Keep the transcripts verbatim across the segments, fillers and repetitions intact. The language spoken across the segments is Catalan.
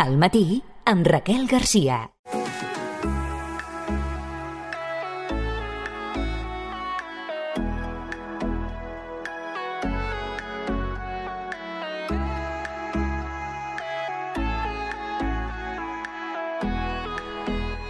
Al matí, amb Raquel Garcia.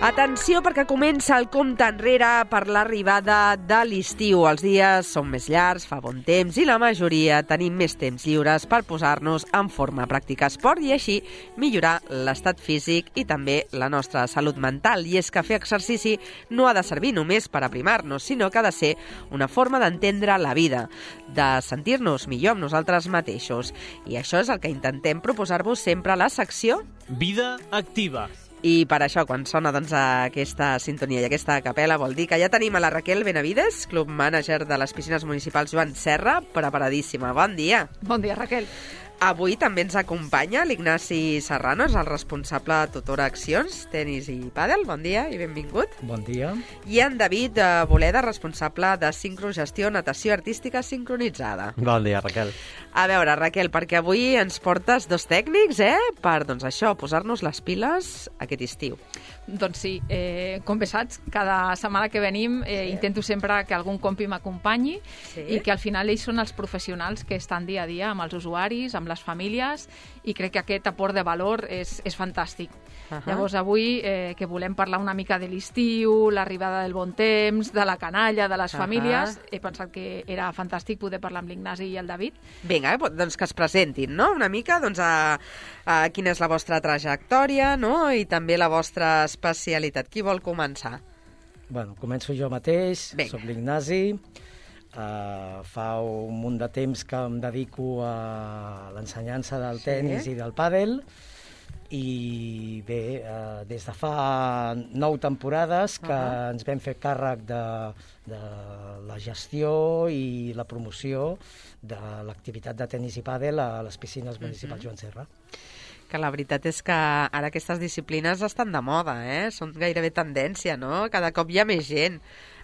Atenció, perquè comença el compte enrere per l'arribada de l'estiu. Els dies són més llargs, fa bon temps i la majoria tenim més temps lliures per posar-nos en forma, practicar esport i així millorar l'estat físic i també la nostra salut mental. I és que fer exercici no ha de servir només per aprimar-nos, sinó que ha de ser una forma d'entendre la vida, de sentir-nos millor amb nosaltres mateixos. I això és el que intentem proposar-vos sempre a la secció Vida Activa. I per això, quan sona doncs, aquesta sintonia i aquesta capela, vol dir que ja tenim a la Raquel Benavides, club mànager de les piscines municipals Joan Serra, preparadíssima. Bon dia. Bon dia, Raquel. Avui també ens acompanya l'Ignasi Serrano, és el responsable de Tutora Accions, tenis i pàdel. Bon dia i benvingut. Bon dia. I en David Boleda, responsable de sincrogestió, natació artística sincronitzada. Bon dia, Raquel. A veure, Raquel, perquè avui ens portes dos tècnics, eh?, per, doncs això, posar-nos les piles aquest estiu. Doncs sí, eh, com bé saps, cada setmana que venim eh, sí. intento sempre que algun compi m'acompanyi sí. i que al final ells són els professionals que estan dia a dia amb els usuaris, amb les famílies, i crec que aquest aport de valor és, és fantàstic. Uh -huh. Llavors avui eh, que volem parlar una mica de l'estiu, l'arribada del bon temps, de la canalla, de les uh -huh. famílies, he pensat que era fantàstic poder parlar amb l'Ignasi i el David. Vinga, doncs que es presentin, no?, una mica, doncs a, a quina és la vostra trajectòria, no?, i també la vostra especialitat. Qui vol començar? Bueno, començo jo mateix, Vinga. Soc l'Ignasi. Uh, fa un munt de temps que em dedico a l'ensenyança del sí. tenis i del pàdel, i bé, uh, des de fa nou temporades que uh-huh. ens vam fer càrrec de, de la gestió i la promoció de l'activitat de tenis i pàdel a les piscines municipals uh-huh. Joan Serra. Que la veritat és que ara aquestes disciplines estan de moda, eh? Són gairebé tendència, no? Cada cop hi ha més gent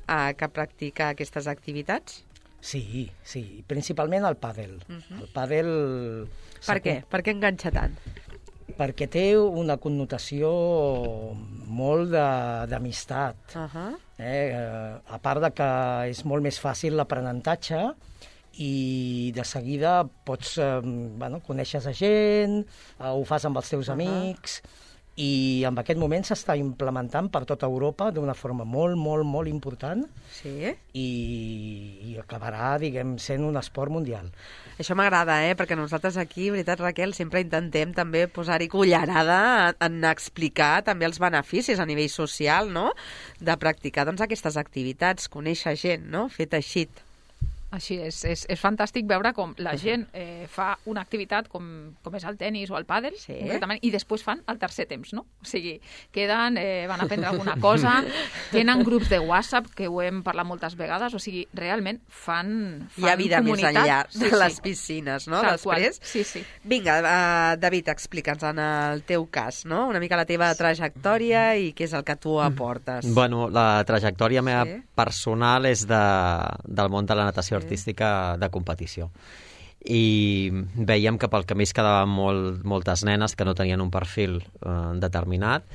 eh, que practica aquestes activitats. Sí, sí, principalment el pàdel. Uh-huh. El pàdel... Per què? Per què enganxa tant? Perquè té una connotació molt d'amistat. Uh-huh. eh, a part de que és molt més fàcil l'aprenentatge i de seguida pots, eh, bueno, coneixes a gent, eh, ho fas amb els teus uh-huh. amics, i en aquest moment s'està implementant per tota Europa d'una forma molt, molt, molt important sí. i, i acabarà, diguem, sent un esport mundial. Això m'agrada, eh? Perquè nosaltres aquí, veritat, Raquel, sempre intentem també posar-hi cullerada en explicar també els beneficis a nivell social, no?, de practicar doncs, aquestes activitats, conèixer gent, no?, fer teixit. Així és, és, és fantàstic veure com la gent eh, fa una activitat com, com és el tenis o el pàdel, sí. concretament, i després fan el tercer temps, no? O sigui, queden, eh, van aprendre alguna cosa, tenen grups de WhatsApp, que ho hem parlat moltes vegades, o sigui, realment fan, fan Hi ha vida comunitat. més enllà de sí, les sí. piscines, no?, Tal després. Qual. Sí, sí. Vinga, uh, David, explica'ns en el teu cas, no?, una mica la teva trajectòria i què és el que tu aportes. Bueno, la trajectòria meva sí. personal és de, del món de la natació sí. artística de competició. I veiem que pel camí es quedaven molt, moltes nenes que no tenien un perfil eh, determinat,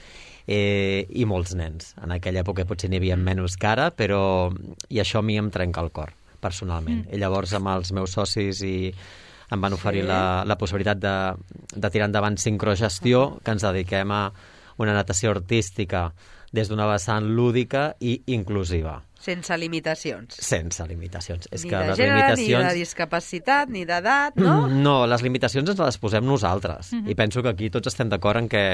eh, i molts nens. En aquella època potser n'hi havia menys que ara, però i això a mi em trenca el cor, personalment. Mm. I llavors amb els meus socis i em van oferir sí. la, la possibilitat de, de tirar endavant sincrogestió, uh-huh. que ens dediquem a una natació artística des d'una vessant lúdica i inclusiva. Sense limitacions. Sense limitacions. És ni que de les gènere, limitacions... ni de discapacitat, ni d'edat, no? No, les limitacions ens les posem nosaltres. Uh-huh. I penso que aquí tots estem d'acord en que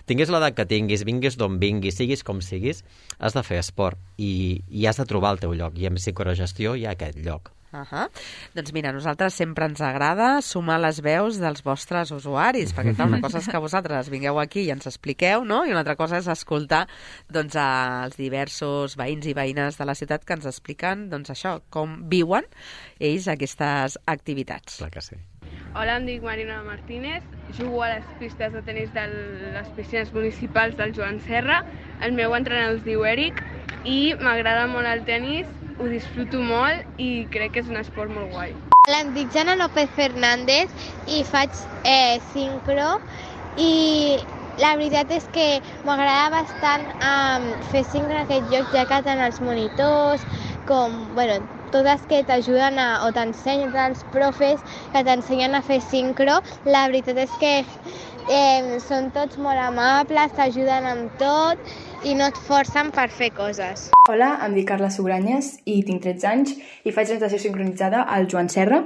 tinguis l'edat que tinguis, vinguis d'on vinguis, siguis com siguis, has de fer esport i, i has de trobar el teu lloc. I amb psicogestió hi ha aquest lloc. Uh -huh. Doncs mira, a nosaltres sempre ens agrada sumar les veus dels vostres usuaris, perquè clar, una cosa és que vosaltres vingueu aquí i ens expliqueu, no?, i una altra cosa és escoltar doncs, els diversos veïns i veïnes de la ciutat que ens expliquen doncs, això, com viuen ells aquestes activitats. Clar que sí. Hola, em dic Marina Martínez, jugo a les pistes de tenis de les piscines municipals del Joan Serra. El meu entrenador es diu Eric i m'agrada molt el tenis, ho disfruto molt i crec que és un esport molt guai. Hola, em dic Jana López Fernández i faig eh, sincro i La veritat és que m'agrada bastant um, fer sincro en aquest lloc, ja que tant els monitors com, bueno, totes que t'ajuden a, o t'ensenyen, els profes que t'ensenyen a fer sincro, la veritat és que eh, són tots molt amables, t'ajuden amb tot i no et forcen per fer coses. Hola, em dic Carla Sugranyes i tinc tretze anys i faig natació sincronitzada al Joan Serra.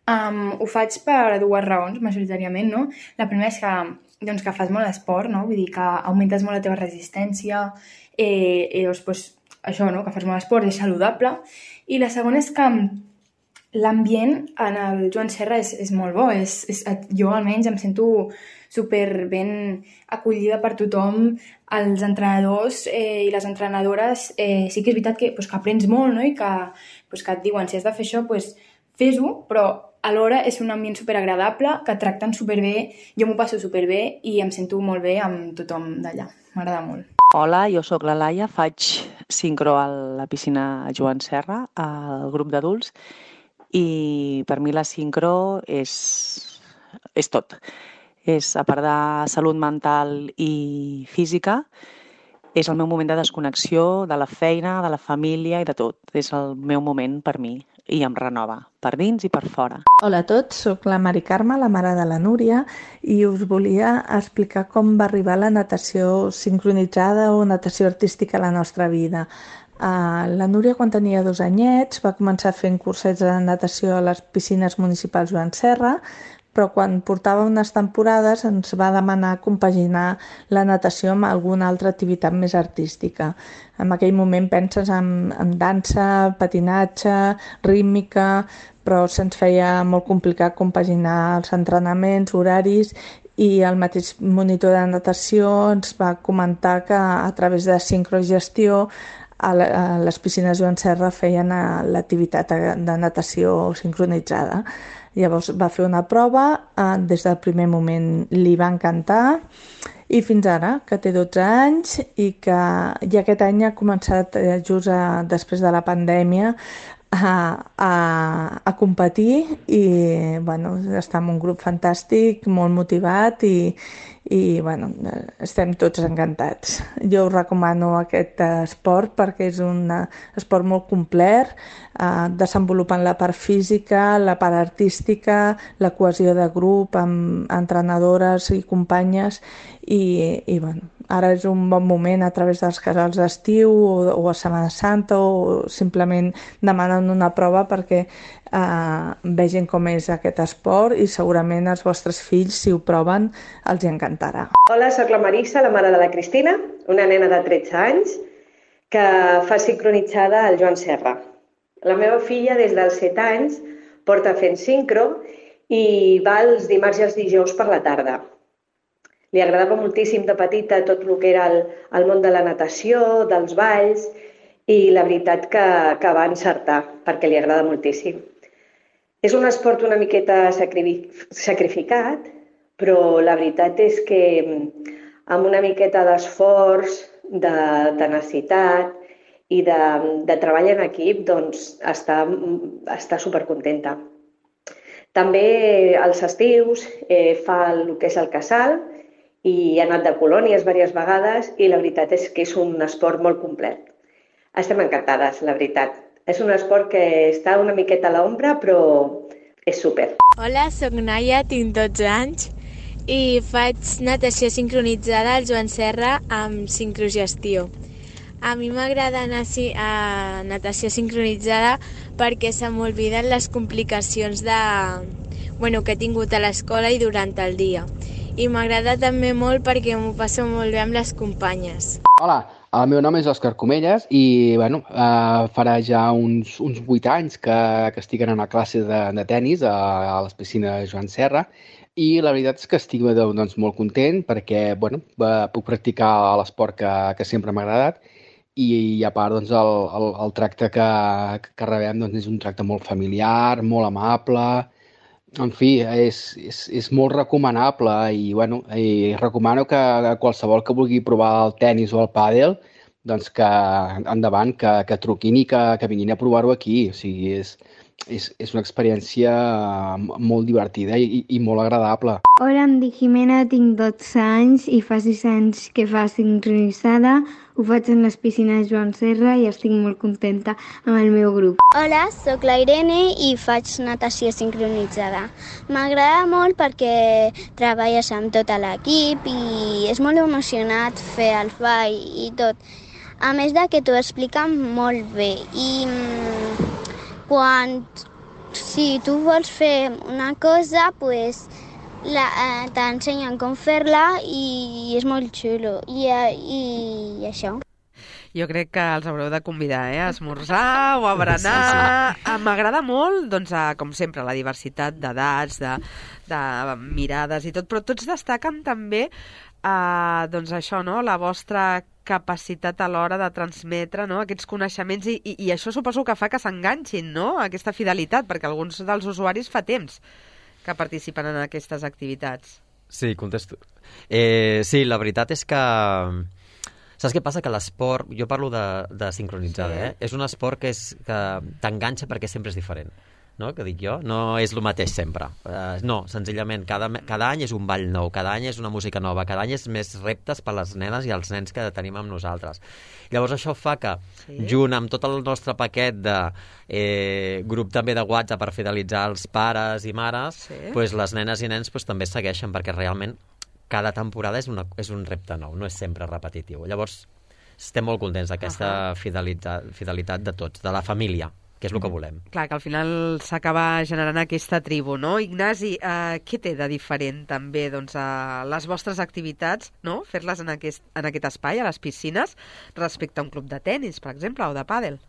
Um, ho faig per dues raons, majoritàriament, no? La primera és que, doncs, que fas molt esport, no? Vull dir que augmentes molt la teva resistència, eh, i doncs, pues, això, no? Que fas molt esport, és saludable. I la segona és que l'ambient en el Joan Serra és, és molt bo. És, és, jo almenys em sento super ben acollida per tothom. Els entrenadors eh, i les entrenadores eh, sí que és veritat que, pues, que aprens molt, no? I que, pues, que et diuen, si has de fer això, pues, fes-ho, però alhora és un ambient superagradable, que et tracten superbé, jo m'ho passo superbé i em sento molt bé amb tothom d'allà. M'agrada molt. Hola, jo sóc la Laia, faig sincro a la piscina Joan Serra, al grup d'adults, i per mi la sincro és, és tot. És, a part de salut mental i física, és el meu moment de desconnexió de la feina, de la família i de tot. És el meu moment per mi i em renova, per dins i per fora. Hola a tots, sóc la Mari Carme, la mare de la Núria, i us volia explicar com va arribar la natació sincronitzada o natació artística a la nostra vida. Uh, la Núria, quan tenia dos anyets, va començar fent cursets de natació a les piscines municipals Joan Serra, però quan portava unes temporades ens va demanar compaginar la natació amb alguna altra activitat més artística. En aquell moment penses en, en dansa, patinatge, rítmica, però se'ns feia molt complicat compaginar els entrenaments, horaris, i el mateix monitor de natació ens va comentar que a través de sincrogestió a les piscines Joan Serra feien l'activitat de natació sincronitzada. Llavors va fer una prova, eh, des del primer moment li va encantar i fins ara, que té dotze anys i que ja aquest any ha començat eh, just a, després de la pandèmia a, a, a competir i bueno, està en un grup fantàstic, molt motivat i, i bueno, estem tots encantats. Jo us recomano aquest esport perquè és un esport molt complet, eh, desenvolupant la part física, la part artística, la cohesió de grup amb entrenadores i companyes i, i bueno, ara és un bon moment a través dels casals d'estiu o, o a Setmana Santa o simplement demanant una prova perquè eh, vegin com és aquest esport i segurament els vostres fills, si ho proven, els hi encantarà. Hola, sóc la Marissa, la mare de la Cristina, una nena de tretze anys que fa sincronitzada al Joan Serra. La meva filla, des dels set anys, porta fent sincro i va els dimarts i els dijous per la tarda. Li agradava moltíssim de petita tot el que era el, el món de la natació, dels balls, i la veritat que, que va encertar, perquè li agrada moltíssim. És un esport una miqueta sacrificat, però la veritat és que amb una miqueta d'esforç, de tenacitat i de, de treball en equip, doncs està, està supercontenta. També als estius eh, fa el que és el casal, i ha anat de colònies diverses vegades i la veritat és que és un esport molt complet. Estem encantades, la veritat. És un esport que està una miqueta a l'ombra, però és súper. Hola, soc Naia, tinc dotze anys i faig natació sincronitzada al Joan Serra amb sincrogestió. A mi m'agrada anar a natació sincronitzada perquè se m'olviden les complicacions de, bueno, que he tingut a l'escola i durant el dia. I m'agrada també molt perquè m'ho passo molt bé amb les companyes. Hola, el meu nom és Òscar Comelles i bueno, eh, farà ja uns, uns vuit anys que, que estic en una classe de, de tennis a, a les piscines Joan Serra i la veritat és que estic doncs, molt content perquè bueno, puc practicar l'esport que, que sempre m'ha agradat i, i a part doncs, el, el, el tracte que, que rebem doncs, és un tracte molt familiar, molt amable. En fi, és, és, és molt recomanable i, bueno, i recomano que qualsevol que vulgui provar el tennis o el pàdel, doncs que endavant, que, que truquin i que, que vinguin a provar-ho aquí. O sigui, és, és, és una experiència molt divertida i, i molt agradable. Hola, em dic Jimena, tinc dotze anys i fa sis anys que fa sincronitzada. Ho faig en les piscines Joan Serra i estic molt contenta amb el meu grup. Hola, sóc la Irene i faig natació sincronitzada. M'agrada molt perquè treballes amb tot l'equip i és molt emocionat fer el ball i tot. A més de que t'ho expliquen molt bé i quan si tu vols fer una cosa, pues, la, eh, t'ensenyen com fer-la i és molt xulo. I, i, i això. Jo crec que els haureu de convidar, eh? A esmorzar o a berenar. Sí, sí. M'agrada molt, doncs, a, com sempre, la diversitat d'edats, de, de mirades i tot, però tots destaquen també eh, doncs això, no? La vostra capacitat a l'hora de transmetre, no? Aquests coneixements i, i, i això suposo que fa que s'enganxin, no? Aquesta fidelitat, perquè alguns dels usuaris fa temps que participen en aquestes activitats. Sí, contesto. Eh, sí, la veritat és que... Saps què passa? Que l'esport, jo parlo de, de sincronitzada, sí. eh? És un esport que, és, que t'enganxa perquè sempre és diferent, no? Que dic jo, no és el mateix sempre. Uh, no, senzillament, cada, cada any és un ball nou, cada any és una música nova, cada any és més reptes per les nenes i els nens que tenim amb nosaltres. Llavors això fa que, sí. junt amb tot el nostre paquet de eh, grup també de WhatsApp per fidelitzar els pares i mares, sí. pues les nenes i nens pues, també segueixen, perquè realment cada temporada és, una, és un repte nou, no és sempre repetitiu. Llavors, estem molt contents d'aquesta uh -huh. fidelitat, fidelitat de tots, de la família, que és el que volem. Clar, que al final s'acaba generant aquesta tribu, no? Ignasi, eh, què té de diferent també doncs, a les vostres activitats, no? Fer-les en aquest, en aquest espai, a les piscines, respecte a un club de tennis, per exemple, o de pàdel?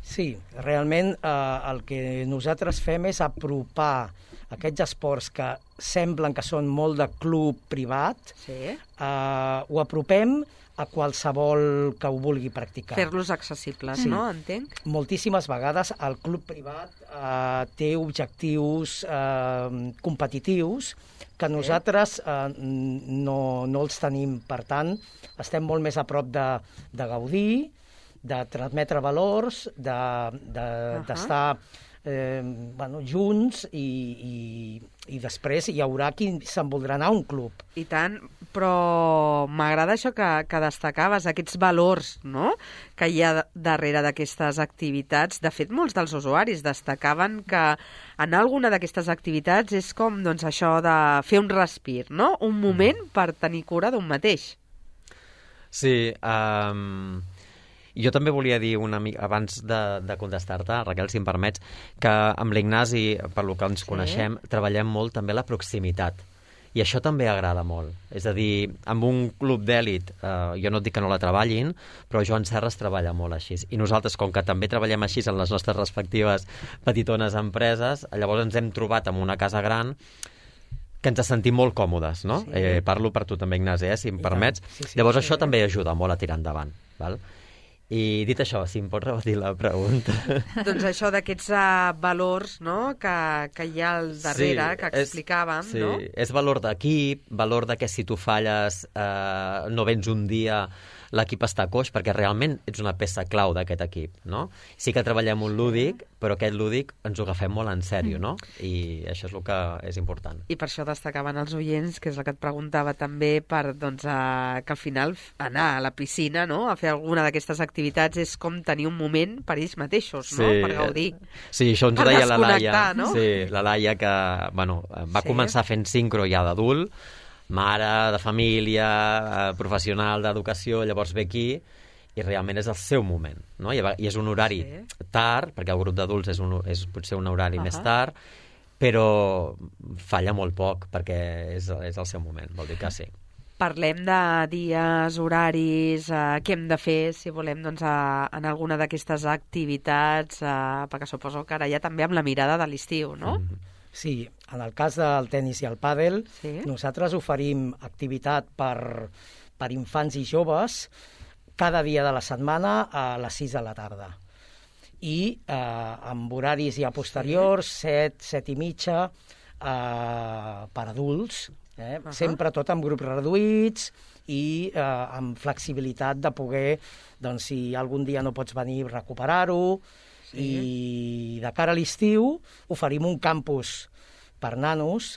Sí, realment eh, el que nosaltres fem és apropar aquests esports que semblen que són molt de club privat, sí. eh, ho apropem a qualsevol que ho vulgui practicar. Fer-los accessibles, sí. no? Entenc? Moltíssimes vegades el club privat eh, té objectius eh, competitius que nosaltres eh, no, no els tenim. Per tant, estem molt més a prop de, de gaudir, de transmetre valors, d'estar de, de, uh-huh. eh, bueno, junts i, i, i després hi haurà qui se'n voldrà anar a un club. I tant, però m'agrada això que, que destacaves, aquests valors, no?, que hi ha darrere d'aquestes activitats. De fet, molts dels usuaris destacaven que anar a alguna d'aquestes activitats és com doncs, això de fer un respir, no?, un moment per tenir cura d'un mateix. Sí, um... jo també volia dir una mica, abans de, de contestar-te, Raquel, si em permets, que amb l'Ignasi, per lo que ens sí. coneixem, treballem molt també la proximitat. I això també agrada molt. És a dir, amb un club d'èlit, eh, jo no et dic que no la treballin, però Joan Serra es treballa molt així. I nosaltres, com que també treballem així en les nostres respectives petitones empreses, llavors ens hem trobat en una casa gran que ens sentim molt còmodes, no? Sí. Eh, parlo per tu també, Ignasi, eh, si em I permets. Sí, sí, llavors sí, això sí. també ajuda molt a tirar endavant, val? I dit això, si em pots repetir la pregunta. Doncs això d'aquests uh, valors, no?, que, que hi ha al darrere, sí, que explicàvem, és, sí, no? És valor d'equip, valor de que si tu falles eh, no vens un dia, l'equip està coix, perquè realment ets una peça clau d'aquest equip, no? Sí que treballem un lúdic, però aquest lúdic ens ho agafem molt en sèrio, no? I això és el que és important. I per això destacaven els oients, que és el que et preguntava també, per, doncs, a, que al final anar a la piscina, no?, a fer alguna d'aquestes activitats és com tenir un moment per ells mateixos, no?, sí, per gaudir. Sí, això ens ho deia la Laia. No? Sí, la Laia que, bueno, va sí. començar fent sincro ja d'adult, mare, de família, professional d'educació, llavors ve aquí i realment és el seu moment, no? I és un horari sí. tard, perquè el grup d'adults és, un, és potser un horari uh-huh. més tard, però falla molt poc, perquè és, és el seu moment, vol dir que sí. Parlem de dies, horaris, eh, què hem de fer si volem doncs, a, en alguna d'aquestes activitats, eh, perquè suposo que ara ja també amb la mirada de l'estiu, no? Mm-hmm. Sí, en el cas del tennis i el pàdel, sí. nosaltres oferim activitat per, per infants i joves cada dia de la setmana a les sis de la tarda. I eh, amb horaris ja posteriors, sí. set, set i mitja, eh, per adults, eh? uh-huh. sempre tot amb grups reduïts i eh, amb flexibilitat de poder, doncs, si algun dia no pots venir, recuperar-ho. Sí. I de cara a l'estiu oferim un campus per nanos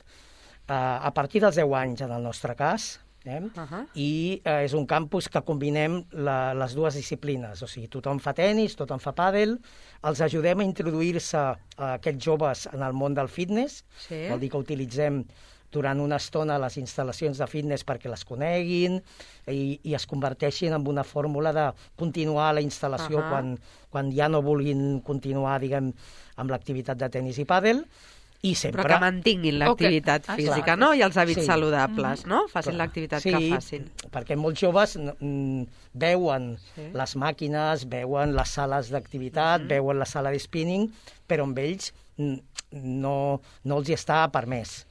eh, a partir dels deu anys, en el nostre cas, eh? uh-huh. i eh, és un campus que combinem la, les dues disciplines, o sigui, tothom fa tenis, tothom fa pàdel, els ajudem a introduir-se a aquests joves en el món del fitness, sí. vol dir que utilitzem durant una estona les instal·lacions de fitness perquè les coneguin i, i es converteixin en una fórmula de continuar la instal·lació uh-huh. quan, quan ja no vulguin continuar, diguem, amb l'activitat de tenis i pàdel. I sempre... Però que mantinguin l'activitat okay. física, no? I els hàbits sí. saludables, no? Facin Clar. l'activitat sí, que facin. Perquè molts joves mm, veuen sí. les màquines, veuen les sales d'activitat, mm-hmm. veuen la sala de spinning, però amb ells no, no els hi està permès.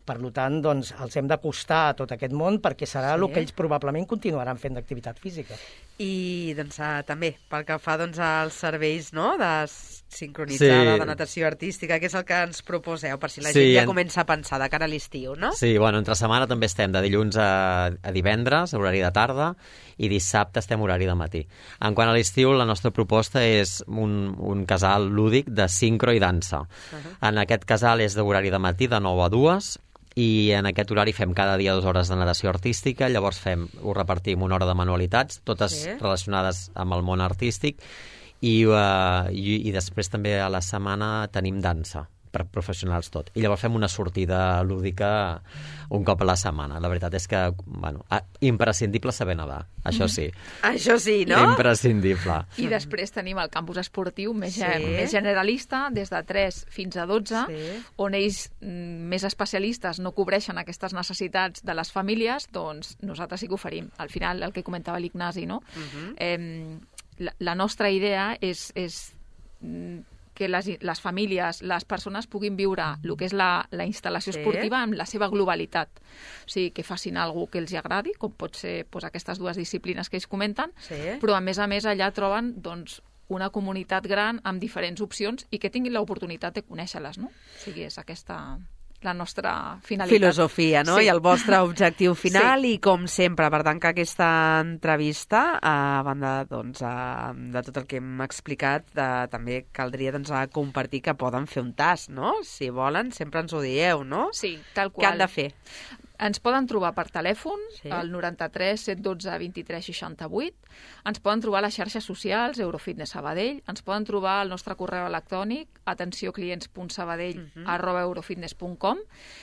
Per tant, doncs, els hem d'acostar a tot aquest món perquè serà sí. el que ells probablement continuaran fent d'activitat física. I doncs, uh, també, pel que fa doncs, als serveis no? de sincronitzada, sí. de natació artística, que és el que ens proposeu, per si la sí, gent ja en... comença a pensar de cara a l'estiu, no? Sí, bueno, entre setmana també estem de dilluns a, a divendres, horari de tarda, i dissabte estem horari de matí. En quant a l'estiu, la nostra proposta és un, un casal lúdic de sincro i dansa. Uh-huh. En aquest casal és d'horari de matí, de nou a dues, i en aquest horari fem cada dia dues hores de natació artística, llavors fem, ho repartim una hora de manualitats, totes sí. relacionades amb el món artístic, i, uh, i, i després també a la setmana tenim dansa, per professionals tot. I llavors fem una sortida lúdica un cop a la setmana. La veritat és que, bueno, imprescindible saber nedar, això sí. Això sí, no? Imprescindible. I després tenim el campus esportiu més, sí. més generalista, des de tres fins a dotze, sí. on ells més especialistes no cobreixen aquestes necessitats de les famílies, doncs nosaltres sí que oferim. Al final, el que comentava l'Ignasi, no? Uh-huh. eh, la, la nostra idea és... és que les, les famílies, les persones puguin viure el que és la, la instal·lació sí. esportiva en la seva globalitat. O sigui, que facin alguna que els agradi, com pot ser doncs, aquestes dues disciplines que ells comenten, sí. però a més a més allà troben doncs, una comunitat gran amb diferents opcions i que tinguin l'oportunitat de conèixer-les, no? O sigui, és aquesta... la nostra finalitat. Filosofia, no? Sí. I el vostre objectiu final sí. i com sempre, per tant que aquesta entrevista, a banda doncs, a, de tot el que hem explicat, de, també caldria doncs, a compartir que poden fer un tast, no? Si volen, sempre ens ho dieu, no? Sí, tal qual. Què han de fer? Ens poden trobar per telèfon, sí. al noranta-tres set dotze vint-i-tres seixanta-vuit. Ens poden trobar a les xarxes socials, Eurofitness Sabadell. Ens poden trobar al nostre correu electrònic, atencioclients punt sabadell arroba eurofitness punt com,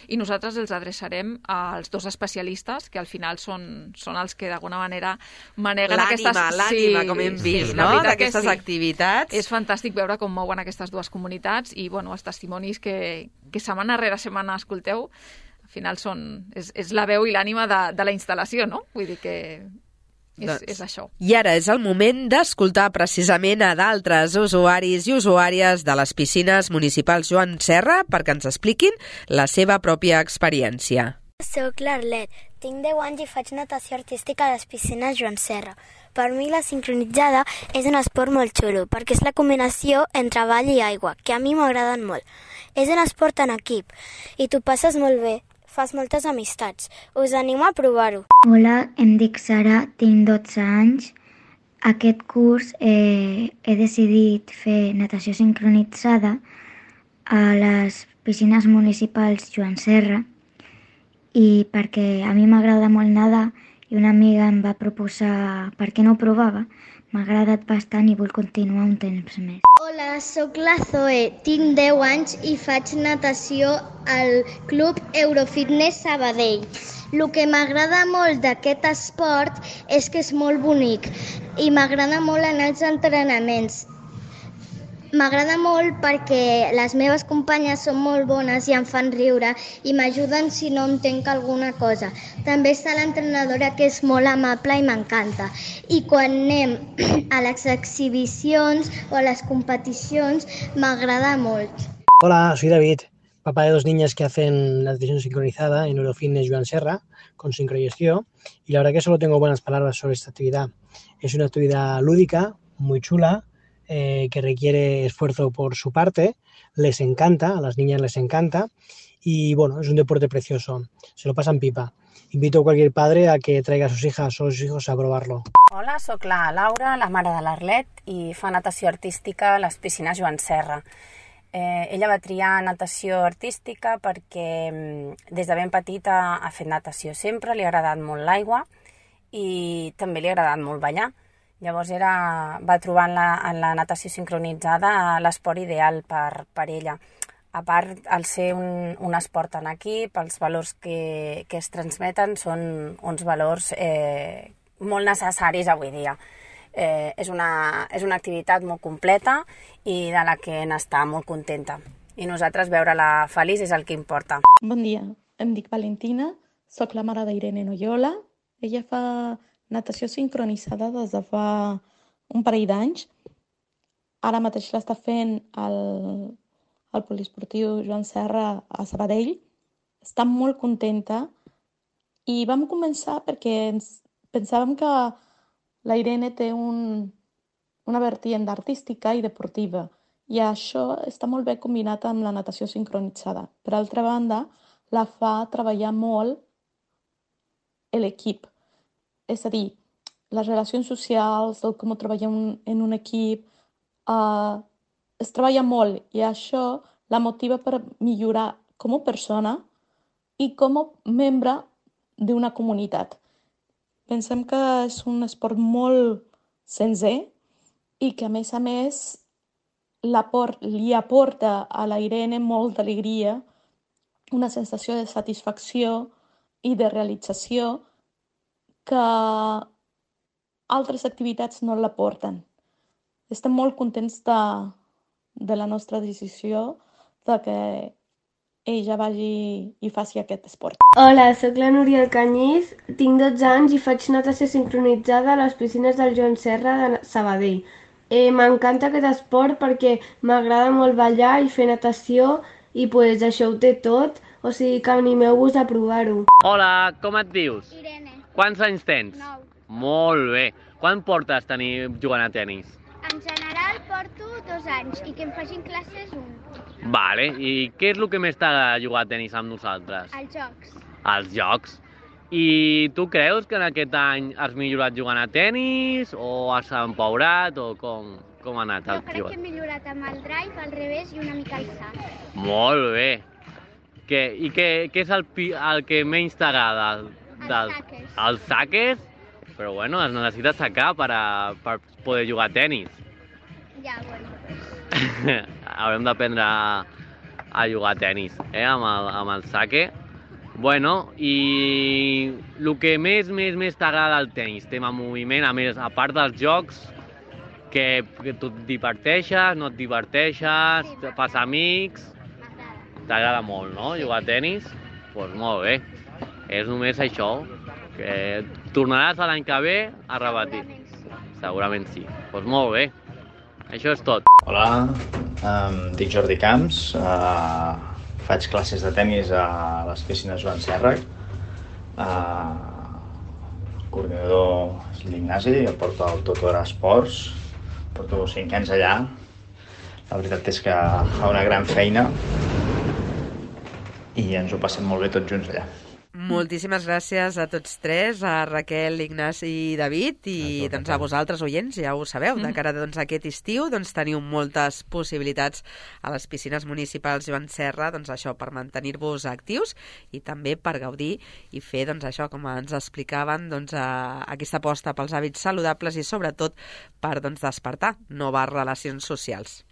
i nosaltres els adreçarem als dos especialistes, que al final són, són els que d'alguna manera maneguen l'ànima, aquestes... L'ànima, sí, com hem vist, sí, no? D'aquestes sí. activitats. És fantàstic veure com mouen aquestes dues comunitats i bueno, els testimonis que, que setmana rere setmana escolteu, al final són, és, és la veu i l'ànima de, de la instal·lació, no? Vull dir que és, doncs, és això. I ara és el moment d'escoltar precisament a d'altres usuaris i usuàries de les piscines municipals Joan Serra perquè ens expliquin la seva pròpia experiència. Soc l'Arlet, tinc deu anys i faig natació artística a les piscines Joan Serra. Per mi la sincronitzada és un esport molt xulo, perquè és la combinació entre ball i aigua, que a mi m'agraden molt. És un esport en equip i t'ho passes molt bé, fas moltes amistats. Us animo a provar-ho. Hola, em dic Sara, tinc dotze anys. Aquest curs eh, he decidit fer natació sincronitzada a les piscines municipals Joan Serra i perquè a mi m'agrada molt nedar i una amiga em va proposar per què no ho provava. M'ha agradat bastant i vull continuar un temps més. Hola, sóc la Zoe, tinc deu anys i faig natació al Club Eurofitness Sabadell. El que m'agrada molt d'aquest esport és que és molt bonic i m'agrada molt anar als entrenaments. M'agrada molt perquè les meves companyes són molt bones i em fan riure i m'ajuden si no entenc alguna cosa. També està l'entrenadora que és molt amable i m'encanta. I quan anem a les exhibicions o a les competicions m'agrada molt. Hola, soy David, papá de dos niñas que hacen natación sincronizada en Eurofitness Joan Serra con sincrogestión y la verdad que solo tengo buenas palabras sobre esta actividad. Es una actividad lúdica, muy chula, Eh, que requiere esfuerzo por su parte, les encanta, a las niñas les encanta y bueno, es un deporte precioso, se lo pasan pipa. Invito a cualquier padre a que traiga a sus hijas o sus hijos a probarlo. Hola, sóc la Laura, la mare de l'Arlet, i fa natació artística a les piscines Joan Serra. Eh, ella va triar natació artística perquè des de ben petita ha fet natació sempre, li ha agradat molt l'aigua i també li ha agradat molt ballar. Llavors era, va trobar en la, en la natació sincronitzada l'esport ideal per, per ella. A part, al ser un, un esport en equip, els valors que, que es transmeten són uns valors eh, molt necessaris avui dia. Eh, és, una, és una activitat molt completa i de la que n'està molt contenta. I nosaltres veure-la feliç és el que importa. Bon dia, em dic Valentina, sóc la mare d'Irene Noyola. Ella fa natació sincronitzada des de fa un parell d'anys. Ara mateix l'està fent al, al poliesportiu Joan Serra a Sabadell. Està molt contenta i vam començar perquè ens pensàvem que la Irene té un, una vertiente artística i deportiva i això està molt bé combinat amb la natació sincronitzada. Per altra banda, la fa treballar molt l'equip. És a dir, les relacions socials, el com treballar en un equip, eh, es treballa molt i això la motiva per millorar com a persona i com a membre d'una comunitat. Pensem que és un esport molt senzill i que, a més a més, li aporta a la Irene molt d'alegria, una sensació de satisfacció i de realització que altres activitats no l'aporten. Estem molt contents de, de la nostra decisió de que ella vagi i faci aquest esport. Hola, sóc la Núria Canyís, tinc dotze anys i faig natació sincronitzada a les piscines del Joan Serra de Sabadell. Eh, M'encanta aquest esport perquè m'agrada molt ballar i fer natació i pues, això ho té tot, o sigui que animeu-vos a provar-ho. Hola, com et dius? Irene. Quants anys tens? Nou. Molt bé. Quan portes tenir jugant a tenis? En general porto dos anys i que em facin classes un. Vale, i què és el que més t'agrada jugar a tenis amb nosaltres? Els jocs. Els jocs. I tu creus que en aquest any has millorat jugant a tenis o has empaurat o com, com ha anat? Jo crec que he millorat amb el drive, al revés i una mica el sac. Molt bé. Que, I què, què és el, el que menys t'agrada? Els saques. Els saques? Però bueno, es necessita sacar per, a, per poder jugar a tenis. Ja, bueno. Haurem d'aprendre a, a jugar a tenis, eh, amb el, amb el saque. Bueno, i el que més, més, més t'agrada del tenis, tema moviment, a més, a part dels jocs, que, que tu et diverteixes, no et diverteixes, sí, fas amics, t'agrada molt, no?, jugar a tenis? Doncs pues molt bé, és només això, que tornaràs l'any que ve a repetir. Segurament sí. Segurament sí, doncs pues molt bé. Això és tot. Hola, em dic Jordi Camps, uh, faig classes de tenis a les piscines Joan Serra. Uh, el coordinador és l'Ignasi, jo porto el tutor a esports, porto cinc anys allà. La veritat és que fa una gran feina i ens ho passem molt bé tots junts allà. Moltíssimes gràcies a tots tres, a Raquel, Ignasi i David, i doncs, a vosaltres, oients, ja ho sabeu, de cara doncs, a aquest estiu doncs, teniu moltes possibilitats a les piscines municipals Joan Serra, doncs, això per mantenir-vos actius i també per gaudir i fer doncs, això, com ens explicaven, doncs, a, aquesta aposta pels hàbits saludables i sobretot per doncs, despertar noves relacions socials.